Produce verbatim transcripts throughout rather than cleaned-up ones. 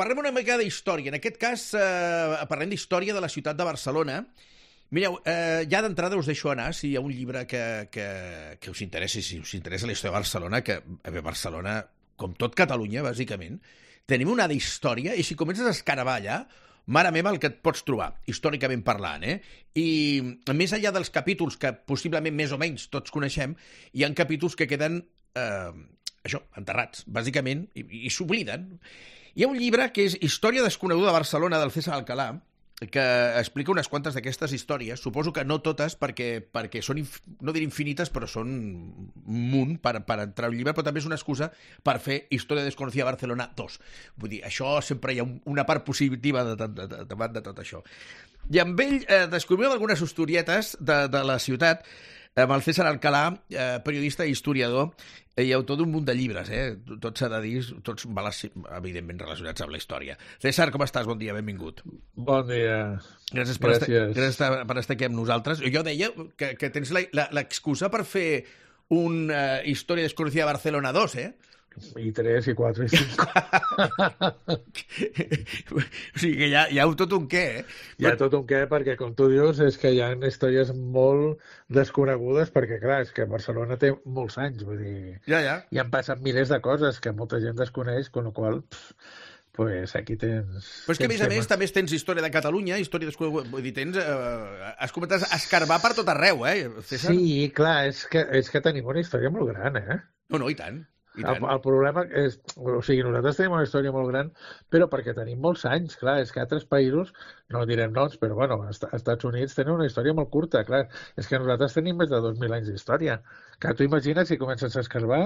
parlem una mica d'història. En aquest cas, eh, parlem d'història de la ciutat de Barcelona. Mireu, eh, ja d'entrada us deixo anar si hi ha un llibre que, que, que us interessi, si us interessa la història de Barcelona, que a veure, Barcelona, com tot Catalunya, bàsicament, tenim una d'història, i si comences a escaravar allà, mare meva, el que et pots trobar, històricament parlant, eh? I més enllà dels capítols que possiblement més o menys tots coneixem, hi ha capítols que queden, eh, això, enterrats, bàsicament, i, i s'obliden. Hi ha un llibre que és Història desconeguda de Barcelona, del César Alcalà, que explica unes quantes d'aquestes històries. Suposo que no totes, perquè, perquè són, inf... no diré infinites, però són un munt per, per entrar a un llibre, però també és una excusa per fer Història desconocida de Barcelona dos. Vull dir, això sempre hi ha una part positiva davant de, de, de, de tot això. I amb ell eh, descobrim algunes historietes de, de la ciutat, amb el César Alcalà, eh, periodista i historiador, i autor d'un munt de llibres, eh? Tots s'ha de dir, tots evidentment relacionats amb la història. César, com estàs? Bon dia, benvingut. Bon dia. Gràcies per, Gràcies. Estar, gràcies per estar aquí amb nosaltres. Jo deia que, que tens l'excusa per fer una història desconocida de Barcelona dos, eh? I tres, i quatre, i cinc. O sigui que hi ha, hi ha tot un què, eh? Hi ha tot un què, perquè, com tu dius, és que hi ha històries molt desconegudes, perquè, clar, és que Barcelona té molts anys, vull dir... Ja, ja. I han passat milers de coses que molta gent desconeix, con la qual pues aquí tens... Però és que, a més a més, també tens història de Catalunya, història desconeguda... Vull dir, tens... Eh, has començat a escarbar per tot arreu, eh, César? Sí, clar, és que, és que tenim una història molt gran, eh? No, no, i tant. El, el problema és, o sigui, nosaltres tenim una història molt gran, però perquè tenim molts anys, clar, és que altres països, no direm noms, però bueno, als Estats Units tenen una història molt curta, clar, és que nosaltres tenim més de dos mil anys d'història. Que tu imagines si comences a escarbar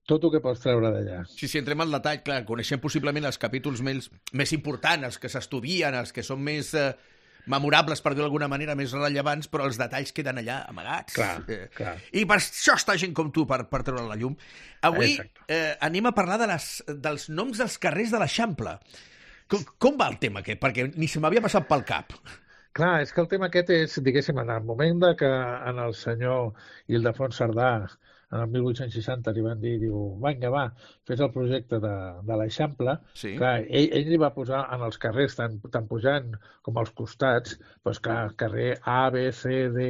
tot el que pots treure d'allà. Sí, sí, entrem al detall, clar, coneixem possiblement els capítols més, més importants, els que s'estudien, els que són més... Eh... memorables, per dir d'alguna manera, més rellevants, però els detalls queden allà amagats. Clar, eh, clar. I per això està gent com tu, per, per treure la llum. Avui eh, anem a parlar de les, dels noms dels carrers de l'Eixample. Com, com va el tema aquest? Perquè ni se m'havia passat pel cap. Clar, és que el tema aquest és, diguéssim, en el moment de que en el senyor Ildefons Cerdà, en el mil vuit-cents seixanta, li van dir, diu, vinga, va, fes el projecte de, de l'Eixample. Sí. Clar, ell, ell li va posar en els carrers, tant, tant pujant com als costats, doncs clar, carrer A, B, C, D,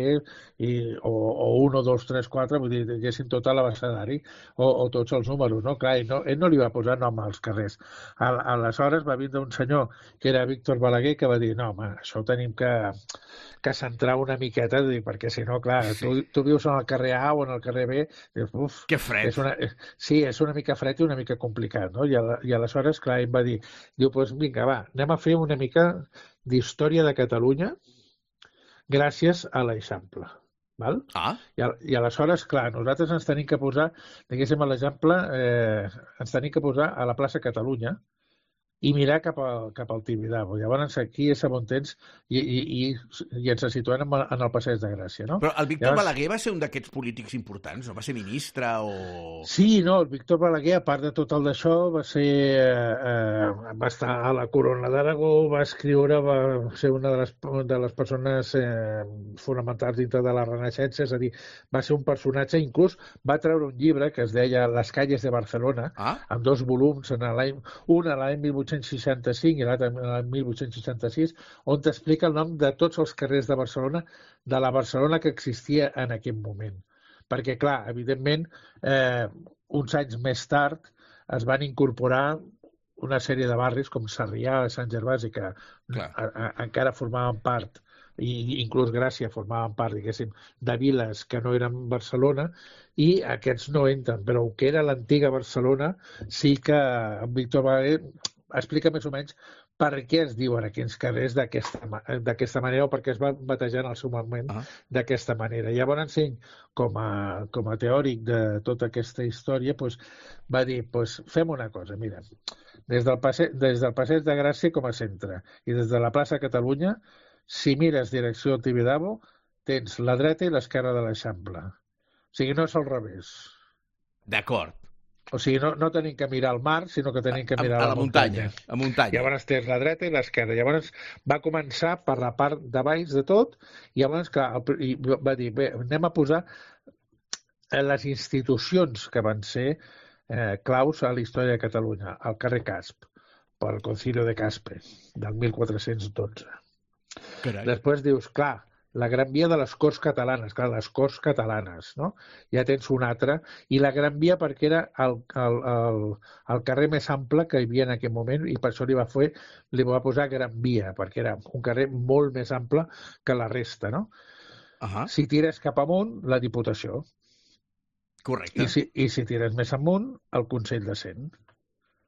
i, o, o un, dos, tres, quatre, vull dir, diguéssim tot l'abecedari, o, o tots els números, no? Clar, ell no, ell no li va posar nom als carrers. A, aleshores va vindre un senyor, que era Víctor Balaguer, que va dir, no, home, això ho tenim que... que centrar una miqueta, perquè si no, clar, sí. tu, tu vius en el carrer A o en el carrer B, dius, uf... Que fred. És una, sí, és una mica fred i una mica complicat, no? I, a, i aleshores, clar, ell va dir, diu, doncs vinga, va, anem a fer una mica d'història de Catalunya gràcies a l'Eixample. Val? Ah. I, a, I aleshores, clar, nosaltres ens tenim que posar, diguéssim, a l'Eixample, eh, ens tenim que posar a la plaça Catalunya, i mirar cap, a, cap al Tibidabo. Llavors aquí és on tens i, i, i, i ens situem en, en el Passeig de Gràcia, no? Però el Víctor Llavors... Balaguer va ser un d'aquests polítics importants, no? Va ser ministre o... Sí, no, el Víctor Balaguer, a part de tot el d'això, va ser... Eh, va estar a la Corona d'Aragó, va escriure, va ser una de les, de les persones eh, fonamentals dintre de la Renaixença, és a dir, va ser un personatge, inclús va treure un llibre que es deia Les calles de Barcelona, ah? amb dos volums, en l'any un a l'any mil vuit-cents seixanta-cinc i l'altre l'any mil vuit-cents seixanta-sis, on t'explica el nom de tots els carrers de Barcelona, de la Barcelona que existia en aquell moment. Perquè, clar, evidentment, eh, uns anys més tard es van incorporar una sèrie de barris com Sarrià, Sant Gervasi, que a, a, encara formaven part, i inclús Gràcia formaven part, diguéssim, de viles que no eren Barcelona, i aquests no entren, però el que era l'antiga Barcelona sí que en Víctor Balaguer explica més o menys per què es diuen aquells carrers d'aquesta manera o per què es van batejar en el seu moment ah. d'aquesta manera. Llavors ell, com a, com a teòric de tota aquesta història, doncs, va dir, doncs, fem una cosa, mira, des del, passe, des del Passeig de Gràcia com a centre i des de la plaça Catalunya, si mires direcció al Tibidabo, tens la dreta i l'esquerra de l'Eixample. O sigui, no és al revés. D'acord. O sigui, no, no tenim que mirar al mar, sinó que tenim que mirar a, a a la, la muntanya. muntanya. A muntanya. Llavors tens la dreta i l'esquerra. Llavors va començar per la part de baix de tot i llavors que, i va dir, bé, anem a posar les institucions que van ser eh, claus a la història de Catalunya. El carrer Casp, pel Concilio de Caspe, del mil quatre-cents dotze. Carai. Després dius, clar, la Gran Via de les Corts Catalanes, clar, les Corts Catalanes, no? Ja tens una altra. I la Gran Via perquè era el, el, el, el carrer més ample que hi havia en aquell moment i per això li va, fer, li va posar Gran Via, perquè era un carrer molt més ample que la resta, no? Uh-huh. Si tires cap amunt, la Diputació. Correcte. I si, i si tires més amunt, el Consell de Cent.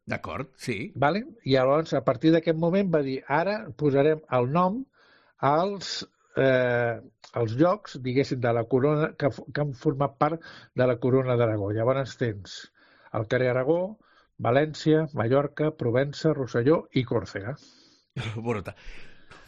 D'acord, sí. Vale? I llavors, a partir d'aquest moment, va dir, ara posarem el nom als, eh, als llocs, diguéssim, de la corona, que, que han format part de la corona d'Aragó. Llavors tens el carrer Aragó, València, Mallorca, Provença, Rosselló i Còrsega. Brutal.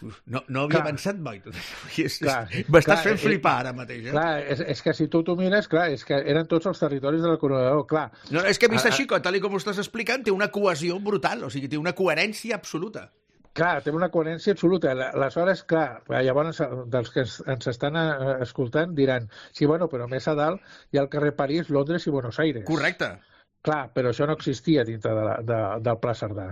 No, no havia clar, pensat mai tot això. M'estàs fent flipar ara mateix. Eh? Clar, és, és que si tu t'ho mires, clar, és que eren tots els territoris de la corona d'Aragó, clar. No, és que vist així, tal com ho estàs explicant, té una cohesió brutal, o sigui, té una coherència absoluta. Clar, té una coherència absoluta. Aleshores, clar, llavors dels que ens estan escoltant diran sí, bueno, però més a dalt hi ha el carrer París, Londres i Buenos Aires. Correcte. Clar, però això no existia dintre de la, de, del Pla Cerdà.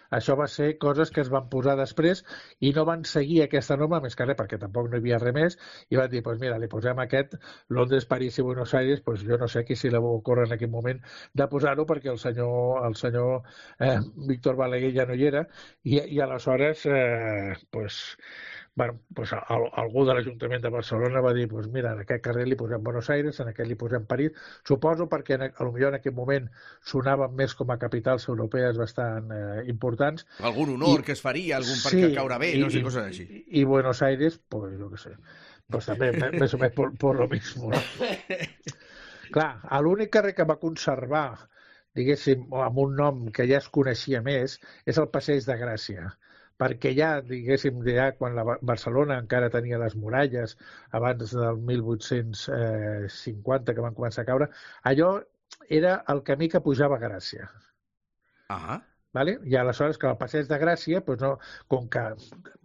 Això va ser coses que es van posar després i no van seguir aquesta norma, més que res, perquè tampoc no hi havia res més, i van dir, doncs pues mira, li posem aquest, Londres, París i Buenos Aires, doncs pues jo no sé qui si li va ocórrer en aquell moment de posar-ho, perquè el senyor, el senyor eh, Víctor Balaguer ja no hi era, i, i aleshores, eh, pues, bueno, pues, el, algú de l'Ajuntament de Barcelona va dir, pues mira, en aquest carrer li posem Buenos Aires, en aquest li posem París, suposo perquè en, potser en aquell moment sonaven més com a capitals europees bastant eh, importants. Algun honor I, que es faria, algun sí, perquè caure bé, i, no sé, coses així. I, i Buenos Aires, pues jo què sé, pues també més o menys por, por lo mismo. No? Clar, l'únic carrer que va conservar, diguéssim, amb un nom que ja es coneixia més, és el Passeig de Gràcia, perquè ja, diguéssim, ja quan la Barcelona encara tenia les muralles abans del mil vuit-cents cinquanta que van començar a caure, allò era el camí que pujava a Gràcia. Ah. Vale? I aleshores que el Passeig de Gràcia, doncs no, com que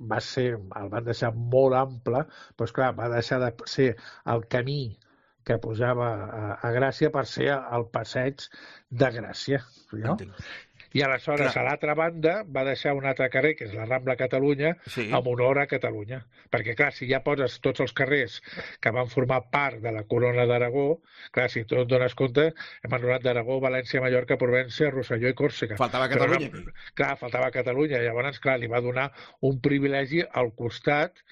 va ser, el van deixar molt ample, doncs clar, va deixar de ser el camí que pujava a, a Gràcia per ser el Passeig de Gràcia. No? I aleshores, clar, a l'altra banda, va deixar un altre carrer, que és la Rambla Catalunya, sí, amb honor a Catalunya. Perquè, clar, si ja poses tots els carrers que van formar part de la corona d'Aragó, clar, si tu et dones compte, hem anomenat d'Aragó, València, Mallorca, Provença, Rosselló i Còrsega. Faltava Catalunya. Però, clar, faltava Catalunya. Llavors, clar, li va donar un privilegi al costat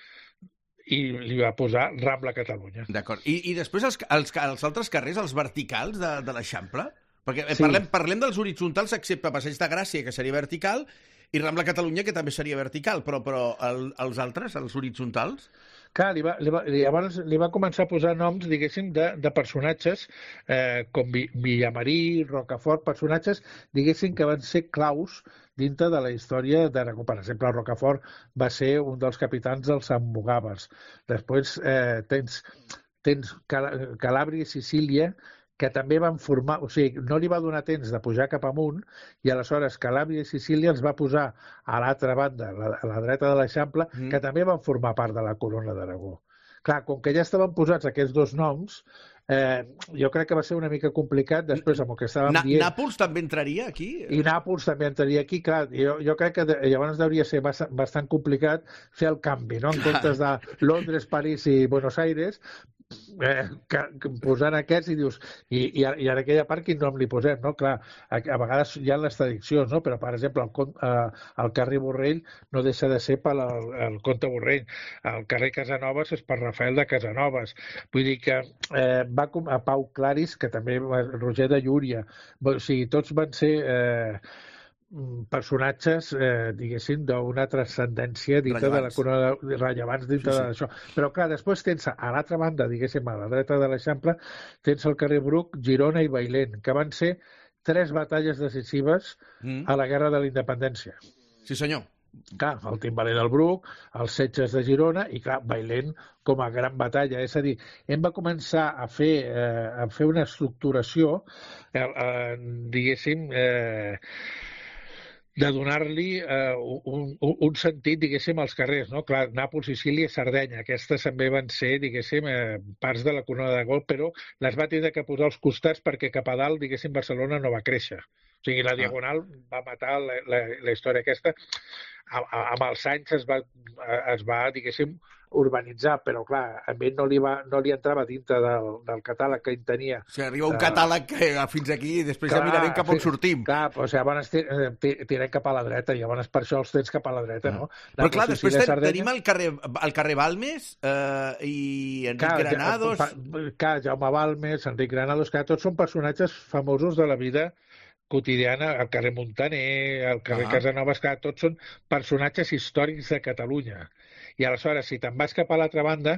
i li va posar Rambla Catalunya. D'acord. I, i després els, els, els altres carrers, els verticals de, de l'Eixample? Perquè sí, parlem, parlem dels horitzontals excepte Passeig de Gràcia, que seria vertical, i Rambla Catalunya, que també seria vertical, però, però el, els altres, els horitzontals? Clar, li va, li va, llavors li va començar a posar noms, diguéssim, de, de personatges eh, com Villamarí, Rocafort, personatges, diguéssim, que van ser claus dintre de la història d'Aragó. Per exemple, Rocafort va ser un dels capitans dels Almogàvers. Després eh, tens, tens Cal Calàbria i Sicília, que també van formar, o sigui, no li va donar temps de pujar cap amunt i aleshores Calàbria i Sicília els va posar a l'altra banda, a la dreta de l'Eixample, mm. que també van formar part de la corona d'Aragó. Clar, com que ja estaven posats aquests dos noms, eh, jo crec que va ser una mica complicat després amb el que estàvem Na dient. Nàpols també entraria aquí? I Nàpols també entraria aquí, clar. Jo, jo crec que de, llavors hauria ser bastant, bastant complicat fer el canvi, no? En comptes de Londres, París i Buenos Aires, Eh, que, que posant aquests i dius i, i, i en aquella part quin nom li posem, no? Clar, a, a vegades hi ha les traduccions, no? Però per exemple el, eh, el carrer Borrell no deixa de ser per el, el comte Borrell, el carrer Casanovas és per Rafael de Casanovas, vull dir que eh, va com a Pau Claris, que també Roger de Llúria, o sigui, tots van ser eh, personatges, eh, diguéssim, d'una transcendència dintre rellevants. de la corona de, rellevants dintre sí, sí. d'això. Però clar, després tens a l'altra banda, diguéssim, a la dreta de l'Eixample, tens el carrer Bruc, Girona i Bailén, que van ser tres batalles decisives mm. a la Guerra de la Independència. Sí, senyor. Clar, el timbaler del Bruc, els setges de Girona i, clar, Bailén com a gran batalla. És a dir, hem va començar a fer, eh, a fer una estructuració, eh, eh, diguéssim, eh, de donar-li eh, un, un, un sentit, diguéssim, als carrers, no? Clar, Nàpols, Sicília i Sardenya, aquestes també van ser, diguéssim, eh, parts de la corona d'Aragó, però les va tenir que posar als costats perquè cap a dalt, diguéssim, Barcelona no va créixer. O sigui, la Diagonal ah. va matar la, la, la història aquesta. A, a, amb els anys es va, es va, diguéssim, urbanitzar, però clar, a ell no li, va, no li entrava dintre del, del catàleg que ell tenia. O sigui, arriba un de... catàleg que fins aquí i després clar, ja mirarem cap on sortim. Clar, doncs llavors tirem cap a la dreta, i llavors per això els tens cap a la dreta, ah. no? La però clar, després ten, Sardenya... tenim el carrer, el carrer Balmes eh, i Enric clar, Granados... Ja, clar, Jaume Balmes, Enric Granados, que tots són personatges famosos de la vida quotidiana, el carrer Montaner, el carrer ah. Casanovas, que tots són personatges històrics de Catalunya. I aleshores, si te'n vas cap a l'altra banda,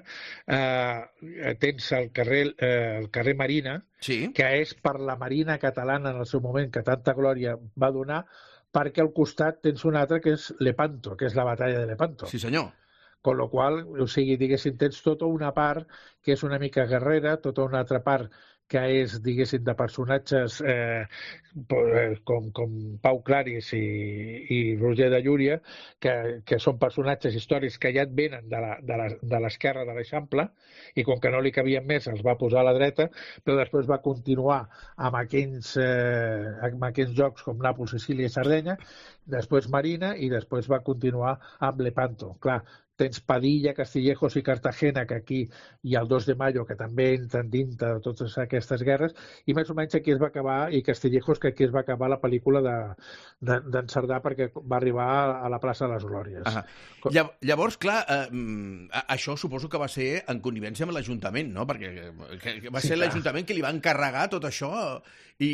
eh, tens el carrer, eh, el carrer Marina, sí. que és per la Marina catalana en el seu moment, que tanta glòria va donar, perquè al costat tens un altre que és Lepanto, que és la batalla de Lepanto. Sí, senyor. Con lo qual, o sigui, diguéssim, tens tota una part que és una mica guerrera, tota una altra part que és, diguéssim, de personatges eh, com, com Pau Claris i, i Roger de Llúria, que, que són personatges històrics que ja et venen de l'esquerra de l'Eixample, i com que no li cabien més els va posar a la dreta, però després va continuar amb aquells, eh, amb aquells jocs com Nàpols, Sicília i Sardenya, després Marina, i després va continuar amb Lepanto. Clar, tens Padilla, Castillejos i Cartagena, que aquí hi ha el dos de mayo, que també entren dintre de totes aquestes guerres, i més o menys aquí es va acabar, i Castillejos, que aquí es va acabar la pel·lícula d'en de, de, Cerdà, perquè va arribar a la plaça de les Glòries. Ah. Llavors, clar, eh, això suposo que va ser en connivència amb l'Ajuntament, no? Perquè va ser sí, l'Ajuntament que li va encarregar tot això, i,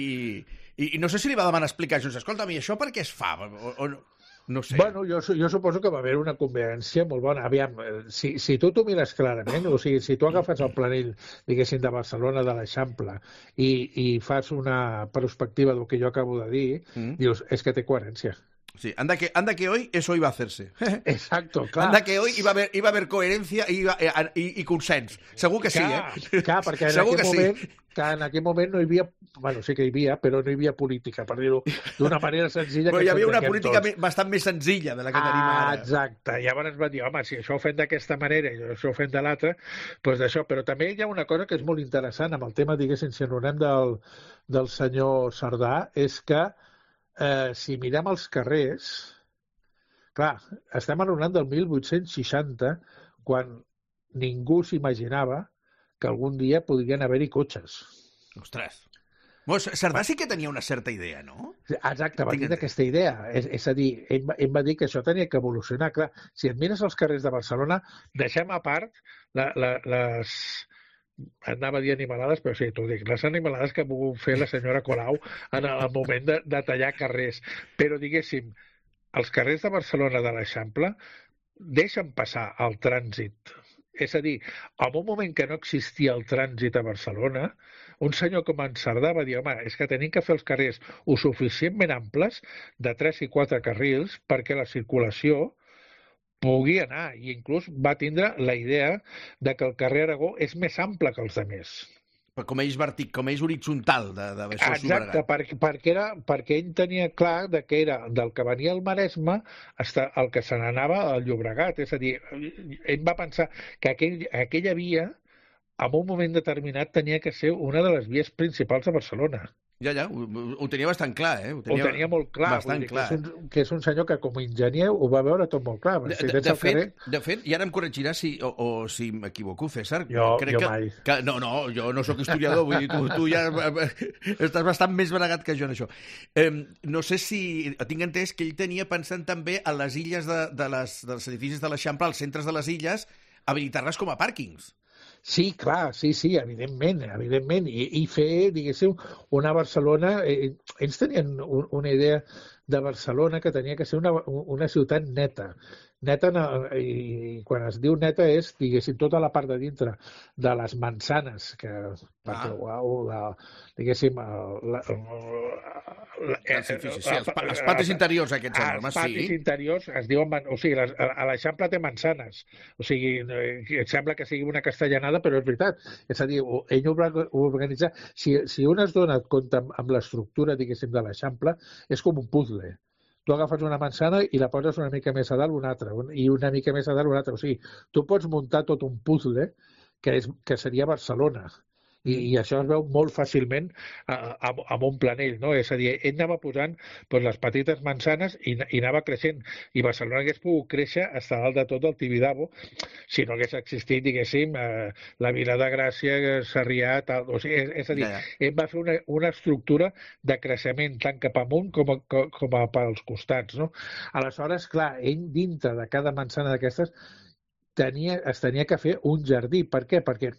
i, i no sé si li va demanar explicacions. Escolta, a mi això per què es fa? O, o no? No sé. Bueno, jo, jo suposo que va haver una convivència molt bona. Aviam, si, si tu t'ho mires clarament, o sigui, si tu agafes el planell, diguéssim, de Barcelona, de l'Eixample, i, i fas una perspectiva del que jo acabo de dir, mm. dius, és que té coherència. Sí, anda que, anda que hoy eso iba a hacerse. Exacto, clar. Anda que hoy iba a haber, iba a haber coherencia i, iba, i, i consens. Segur que sí, clar, eh? Clar, perquè en Segur aquell, que moment, sí. que en aquell moment no hi havia... Bueno, sí que hi havia, però no hi havia política, per dir-ho d'una manera senzilla. Però que hi havia una política tots. bastant més senzilla de la que ah, tenim ara. Exacte. I llavors va dir, home, si això ho fem d'aquesta manera i això ho fem de l'altra, doncs d'això. Però també hi ha una cosa que és molt interessant amb el tema, diguéssim, si enronem del, del senyor Cerdà, és que eh, si mirem els carrers... Clar, estem enronant del mil vuit-cents seixanta, quan ningú s'imaginava que algun dia podrien haver-hi cotxes. Ostres. Bueno, Cerdà sí que tenia una certa idea, no? Exacte, va dir aquesta idea. És, és a dir, ell, ell va dir que això tenia que evolucionar. Clar, si et mires els carrers de Barcelona, deixem a part la, la, les... anava a dir animalades, però sí, t'ho dic, les animalades que ha volgut fer la senyora Colau en el moment de, de tallar carrers. Però, diguéssim, els carrers de Barcelona de l'Eixample deixen passar el trànsit. És a dir, en un moment que no existia el trànsit a Barcelona, un senyor com en Cerdà va dir, home, és que tenim que fer els carrers o suficientment amples, de tres i quatre carrils, perquè la circulació pugui anar. I inclús va tindre la idea de que el carrer Aragó és més ample que els altres. Com eix vertic, com eix horitzontal de, de Exacte, perquè, perquè, era, perquè ell tenia clar de que era del que venia al Maresme hasta el que se n'anava al Llobregat. És a dir, ell va pensar que aquell, aquella via, en un moment determinat, tenia que ser una de les vies principals de Barcelona. Ja, ja, ho, ho tenia bastant clar, eh? Ho tenia, ho tenia molt clar. Bastant dir, clar. Que és, un, que és un senyor que, com a enginyer, ho va veure tot molt clar. De, de, de, fet, de fet, i ara em corregirà si, o, o si m'equivoco, César. Jo, crec jo que, mai. Que, no, no, jo no sóc historiador, vull dir, tu, tu ja estàs bastant més bregat que jo en això. Eh, no sé si... Tinc entès que ell tenia pensant també a les illes de, de les, dels edificis de l'Eixample, als centres de les illes, habilitar-les com a pàrquings. Sí, clar, sí, sí, evidentment, evidentment. I, i fer, diguéssim, una Barcelona... Eh, ells tenien un, una idea de Barcelona que tenia que ser una, una ciutat neta. Neta, i quan es diu neta és, diguéssim, tota la part de dintre de les mansanes, que, perquè, ah. uau, la, diguéssim, la, la, sí, sí, sí, els, pa, els patis interiors aquests enormes, sí. Els patis interiors es diuen, o sigui, les, a l'Eixample té mansanes, o sigui, et sembla que sigui una castellanada, però és veritat. És a dir, ell ho va organitzar. Si, si un es dona compte amb, amb l'estructura, diguéssim, de l'Eixample, és com un puzzle. Tu agafes una manzana i la poses una mica més a dalt una altra, i una mica més a dalt una altra. O sigui, tu pots muntar tot un puzzle que, és, que seria Barcelona. I, i això es veu molt fàcilment amb, amb un planell, no? És a dir, ell anava posant doncs, les petites manzanes i, i anava creixent. I Barcelona hagués pogut créixer fins a dalt de tot el Tibidabo si no hagués existit, diguéssim, eh, la Vila de Gràcia, Sarrià, tal... O sigui, és, és a dir, ja, ja. ell va fer una, una estructura de creixement tant cap amunt com a, com a pels costats, no? Aleshores, clar, ell dintre de cada manzana d'aquestes tenia, es tenia que fer un jardí. Per què? Perquè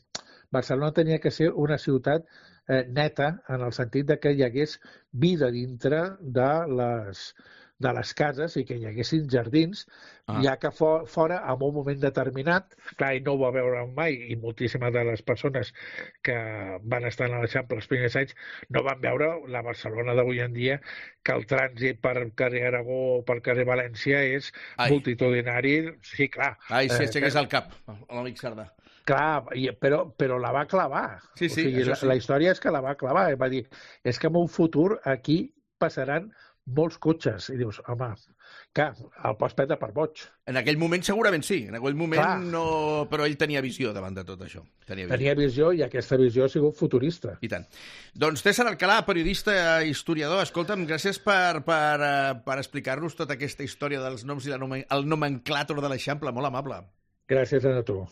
Barcelona tenia que ser una ciutat eh, neta en el sentit de que hi hagués vida dintre de les, de les cases i que hi haguessin jardins, ah. ja que for, fora, en un moment determinat, clar, ell no ho va veure mai i moltíssimes de les persones que van estar a l'Eixample els primers anys no van veure la Barcelona d'avui en dia, que el trànsit per carrer Aragó o per carrer València és Ai. multitudinari. Sí, clar. Ai, si aixequés eh, el cap, l'amic Cerdà. Clar, però, però la va clavar. Sí, sí, o sigui, la, sí. la història és que la va clavar. Va dir, és que en un futur aquí passaran molts cotxes. I dius, home, clar, el pots prendre per boig. En aquell moment segurament sí. En aquell moment clar. no... Però ell tenia visió davant de tot això. Tenia visió. Tenia visió i aquesta visió ha sigut futurista. I tant. Doncs César Alcalà, periodista, historiador, escolta'm, gràcies per, per, per explicar-nos tota aquesta història dels noms i la nomen... el nomenclàtor de l'Eixample. Molt amable. Gràcies a tu.